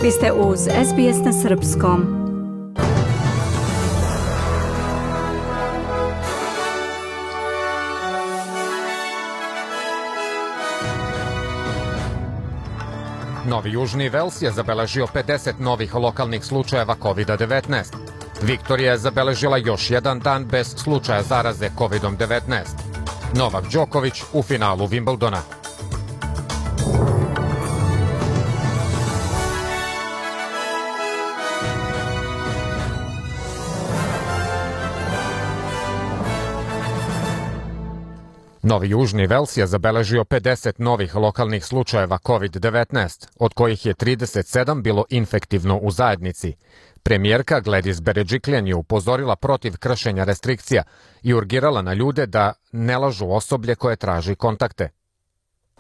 Vi ste uz SBS na srpskom. Novi Južni Vels je zabeležio 50 novih lokalnih slučajeva COVID-19. Viktorija je zabeležila još jedan dan bez slučaja zaraze COVID-19. Novak Đoković u finalu Wimbledona. Novi Južni Vels je zabeležio 50 novih lokalnih slučajeva COVID-19, od kojih je 37 bilo infektivno u zajednici. Premijerka Gladys Berejiklian je upozorila protiv kršenja restrikcija i urgirala na ljude da ne lažu osoblje koje traži kontakte.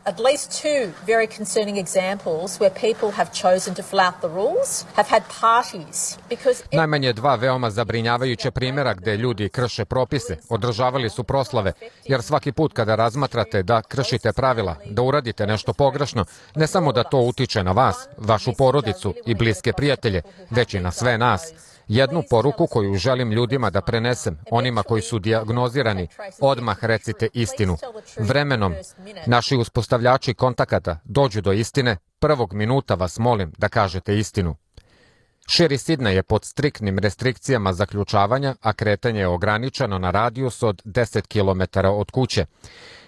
At least two very concerning examples where people have chosen to flout the rules have had parties because Najmanje dva veoma zabrinjavajuće primjera gde ljudi krše propise, održavali su proslave, jer svaki put kada razmatrate da kršite pravila, da uradite nešto pogrešno, ne samo da to utiče na vas, vašu porodicu i bliske prijatelje, već i na sve nas. Jednu poruku koju želim ljudima da prenesem, onima koji su dijagnozirani, odmah recite istinu. Vremenom, naši uspostavljači kontakata dođu do istine, prvog minuta vas molim da kažete istinu. Širi Sidney je pod striktnim restrikcijama zaključavanja, a kretanje je ograničeno na radijus od 10 km od kuće.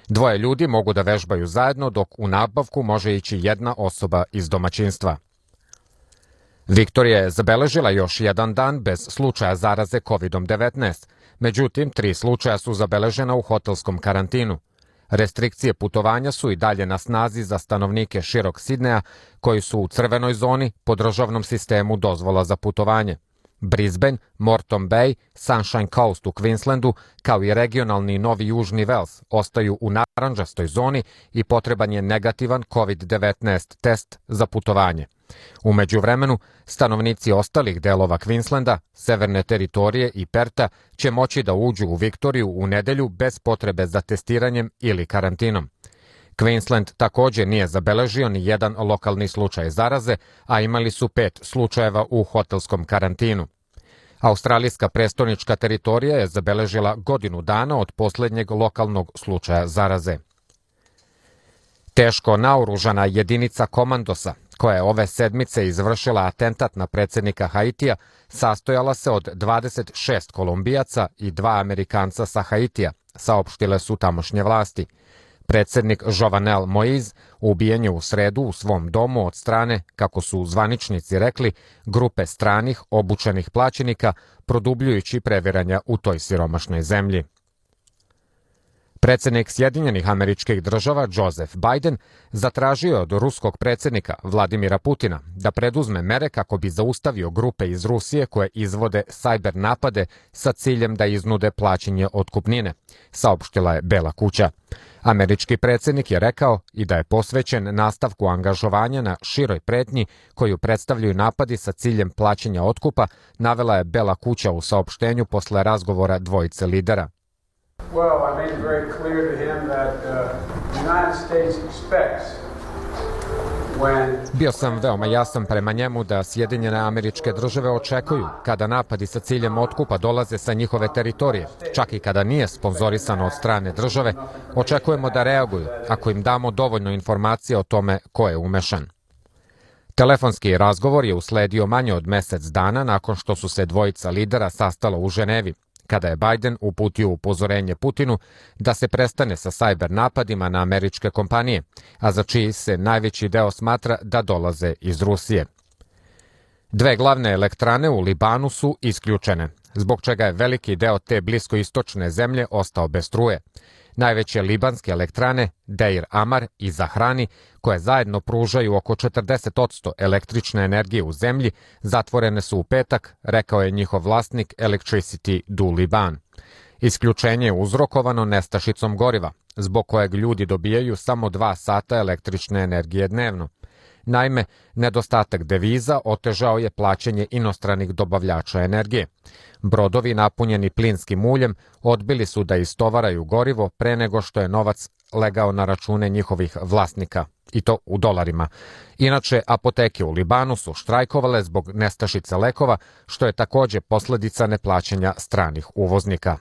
Dvoje ljudi mogu da vežbaju zajedno, dok u nabavku može ići jedna osoba iz domaćinstva. Viktorija je zabeležila još jedan dan bez slučaja zaraze COVID-19. Međutim, 3 slučaja su zabeležena u hotelskom karantinu. Restrikcije putovanja su i dalje na snazi za stanovnike širok Sidneja koji su u crvenoj zoni po državnom sistemu dozvola za putovanje. Brisbane, Moreton Bay, Sunshine Coast u Queenslandu, kao i regionalni Novi Južni Vels ostaju u narandžastoj zoni i potreban je negativan COVID-19 test za putovanje. U međuvremenu, stanovnici ostalih delova Queenslanda, Severne teritorije i Perta će moći da uđu u Viktoriju u nedelju bez potrebe za testiranjem ili karantinom. Queensland također nije zabeležio ni jedan lokalni slučaj zaraze, a imali su 5 slučajeva u hotelskom karantinu. Australijska prestonička teritorija je zabeležila godinu dana od posljednjeg lokalnog slučaja zaraze. Teško naoružana jedinica komandosa, koja je ove sedmice izvršila atentat na predsjednika Haitija, sastojala se od 26 Kolumbijaca i 2 Amerikanca sa Haitija, saopštile su tamošnje vlasti. Predsjednik Jovenel Moïse ubijen je u sredu u svom domu od strane, kako su zvaničnici rekli, grupe stranih obučenih plaćenika, produbljujući previranja u toj siromašnoj zemlji. Predsjednik Sjedinjenih Američkih Država Joseph Biden zatražio od ruskog predsjednika Vladimira Putina da preduzme mere kako bi zaustavio grupe iz Rusije koje izvode sajber napade sa ciljem da iznude plaćanje otkupnine, saopštila je Bela kuća. Američki predsjednik je rekao i da je posvećen nastavku angažovanja na široj pretnji koju predstavljaju napadi sa ciljem plaćanja otkupa, navela je Bela kuća u saopštenju posle razgovora dvojice lidera. Well, I made it very clear to him that the United States expects Bio sam veoma jasan prema njemu da Sjedinjene Američke Države očekuju kada napadi sa ciljem otkupa dolaze sa njihove teritorije, čak i kada nije sponzorisano od strane države, očekujemo da reaguju ako im damo dovoljno informacije o tome ko je umešan. Telefonski razgovor je usledio manje od mjesec dana nakon što su se dvojica lidera sastala u Ženevi, kada je Biden uputio upozorenje Putinu da se prestane sa sajber napadima na američke kompanije, a za čiji se najveći deo smatra da dolaze iz Rusije. 2 glavne elektrane u Libanu su isključene, zbog čega je veliki deo te bliskoistočne zemlje ostao bez struje. Najveće libanske elektrane, Deir Amar i Zahrani, koje zajedno pružaju oko 40% električne energije u zemlji, zatvorene su u petak, rekao je njihov vlasnik Electricity du Liban. Isključenje je uzrokovano nestašicom goriva, zbog kojeg ljudi dobijaju samo 2 sata električne energije dnevno. Naime, nedostatak deviza otežao je plaćanje inostranih dobavljača energije. Brodovi napunjeni plinskim uljem odbili su da istovaraju gorivo pre nego što je novac legao na račune njihovih vlasnika, i to u dolarima. Inače, apoteke u Libanu su štrajkovale zbog nestašice lekova, što je takođe posledica neplaćanja stranih uvoznika.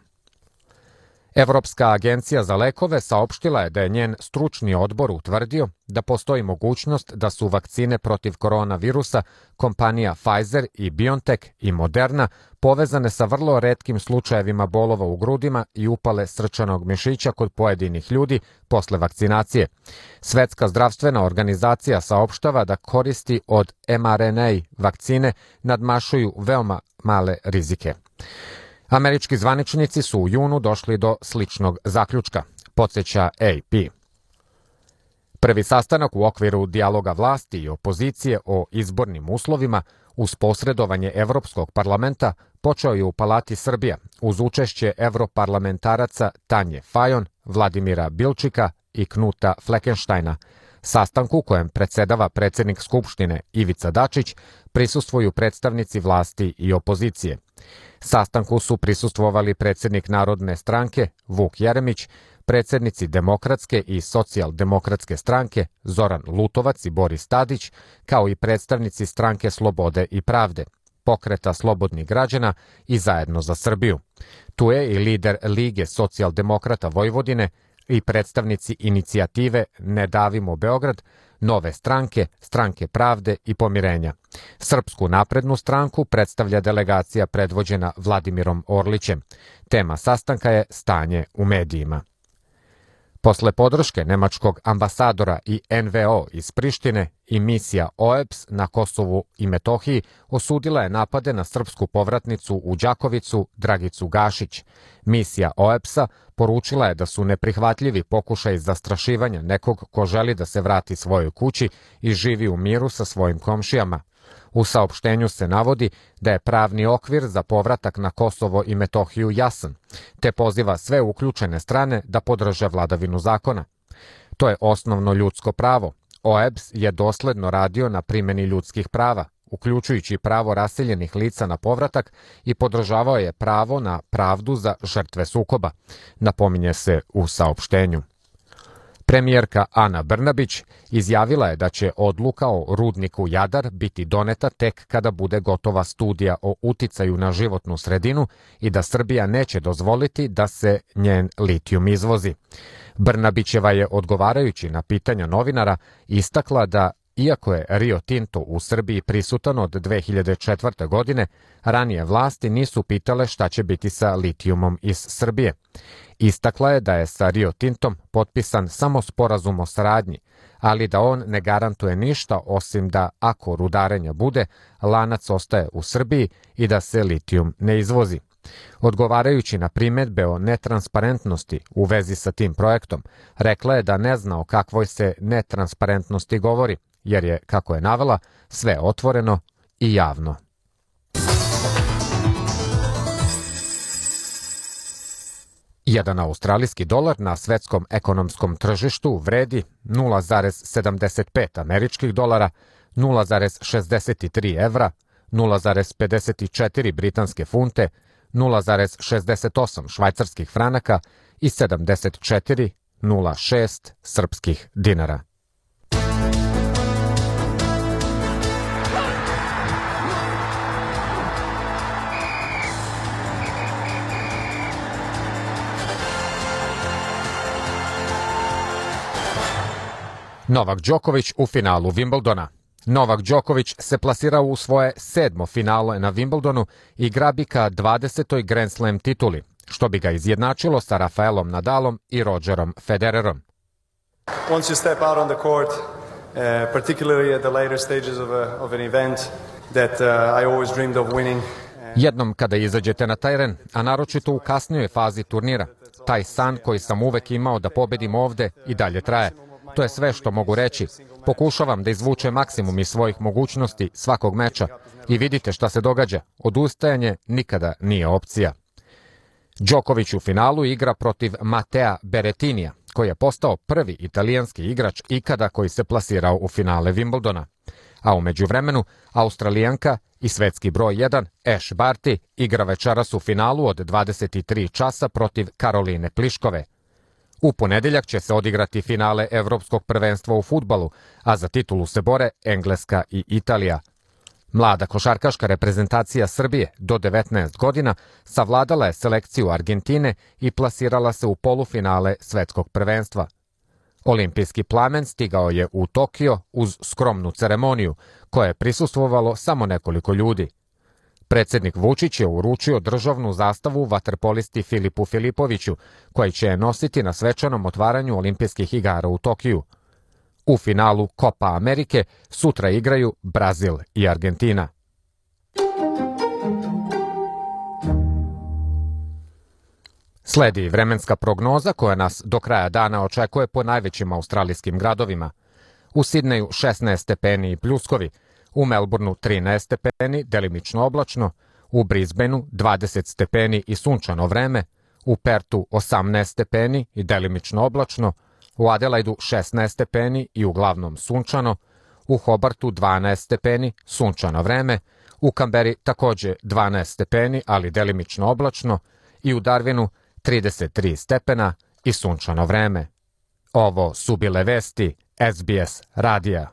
Evropska agencija za lekove saopštila je da je njen stručni odbor utvrdio da postoji mogućnost da su vakcine protiv koronavirusa kompanija Pfizer i BioNTech i Moderna povezane sa vrlo retkim slučajevima bolova u grudima i upale srčanog mišića kod pojedinih ljudi posle vakcinacije. Svetska zdravstvena organizacija saopštava da koristi od mRNA vakcine nadmašuju veoma male rizike. Američki zvaničnici su u junu došli do sličnog zaključka, podsjeća AP. Prvi sastanak u okviru dijaloga vlasti i opozicije o izbornim uslovima uz posredovanje Evropskog parlamenta počeo je u Palati Srbija uz učešće evroparlamentaraca Tanje Fajon, Vladimira Bilčika i Knuta Fleckensteina. Sastanku kojem predsedava predsednik Skupštine Ivica Dačić prisustvuju predstavnici vlasti i opozicije. Sastanku su prisustvovali predsednik Narodne stranke Vuk Jeremić, predsednici Demokratske i Socijaldemokratske stranke Zoran Lutovac i Boris Tadić, kao i predstavnici Stranke Slobode i pravde, Pokreta slobodnih građana i Zajedno za Srbiju. Tu je i lider Lige socijaldemokrata Vojvodine i predstavnici inicijative Ne davimo Beograd, Nove stranke, Stranke pravde i pomirenja. Srpsku naprednu stranku predstavlja delegacija predvođena Vladimirom Orlićem. Tema sastanka je stanje u medijima. Posle podrške nemačkog ambasadora i NVO iz Prištine i misija OEBS na Kosovu i Metohiji osudila je napade na srpsku povratnicu u Đakovicu Dragicu Gašić. Misija OEBS-a poručila je da su neprihvatljivi pokušaj zastrašivanja nekog ko želi da se vrati svojoj kući i živi u miru sa svojim komšijama. U saopštenju se navodi da je pravni okvir za povratak na Kosovo i Metohiju jasan, te poziva sve uključene strane da podrže vladavinu zakona. To je osnovno ljudsko pravo. OEBS je dosledno radio na primjeni ljudskih prava, uključujući pravo raseljenih lica na povratak i podržavao je pravo na pravdu za žrtve sukoba, napominje se u saopštenju. Premijerka Ana Brnabić izjavila je da će odluka o rudniku Jadar biti doneta tek kada bude gotova studija o uticaju na životnu sredinu i da Srbija neće dozvoliti da se njen litijum izvozi. Brnabićeva je, odgovarajući na pitanja novinara, istakla da iako je Rio Tinto u Srbiji prisutan od 2004. godine, ranije vlasti nisu pitale šta će biti sa litijumom iz Srbije. Istakla je da je sa Rio Tintom potpisan samo sporazum o saradnji, ali da on ne garantuje ništa osim da ako rudarenja bude, lanac ostaje u Srbiji i da se litijum ne izvozi. Odgovarajući na primedbe o netransparentnosti u vezi sa tim projektom, rekla je da ne zna o kakvoj se netransparentnosti govori, jer je, kako je navela, sve otvoreno i javno. Jedan australijski dolar na svetskom ekonomskom tržištu vredi 0,75 američkih dolara, 0,63 evra, 0,54 britanske funte, 0,68 švajcarskih franaka i 74,06 srpskih dinara. Novak Đoković u finalu Wimbledona. Novak Đoković se plasirao u svoje 7. finale na Wimbledonu i grabi ka 20. Grand Slam tituli, što bi ga izjednačilo sa Rafaelom Nadalom i Rogerom Federerom. Once you step out on the court, particularly at the later stages of an event that I always dreamed of winning. Jednom kada izađete na teren, a naročito u kasnijoj fazi turnira, taj san koji sam uvek imao da pobedim ovde i dalje traje. To je sve što mogu reći. Pokušavam da izvučem maksimum iz svojih mogućnosti svakog meča i vidite šta se događa. Odustajanje nikada nije opcija. Đoković u finalu igra protiv Matea Beretinija, koji je postao prvi italijanski igrač ikada koji se plasirao u finale Wimbledona. A u međuvremenu, Australijanka i svetski broj 1 Ash Barty igra večeras u finalu od 23 časa protiv Karoline Pliškove. U ponedeljak će se odigrati finale Evropskog prvenstva u fudbalu, a za titulu se bore Engleska i Italija. Mlada košarkaška reprezentacija Srbije do 19 godina savladala je selekciju Argentine i plasirala se u polufinale svetskog prvenstva. Olimpijski plamen stigao je u Tokio uz skromnu ceremoniju, koje je prisustvovalo samo nekoliko ljudi. Predsjednik Vučić je uručio državnu zastavu vaterpolisti Filipu Filipoviću, koji će je nositi na svečanom otvaranju Olimpijskih igara u Tokiju. U finalu Copa Amerike sutra igraju Brazil i Argentina. Sledi vremenska prognoza koja nas do kraja dana očekuje po najvećim australijskim gradovima. U Sidneju 16 stepeni i pljuskovi, u Melbourneu 13 stepeni, delimično oblačno, u Brisbaneu 20 stepeni i sunčano vreme, u Pertu 18 stepeni i delimično oblačno, u Adelaidu 16 stepeni i uglavnom sunčano, u Hobartu 12 stepeni, sunčano vreme, u Kamberi takođe 12 stepeni, ali delimično oblačno, i u Darwinu 33 stepena i sunčano vreme. Ovo su bile vesti SBS radija.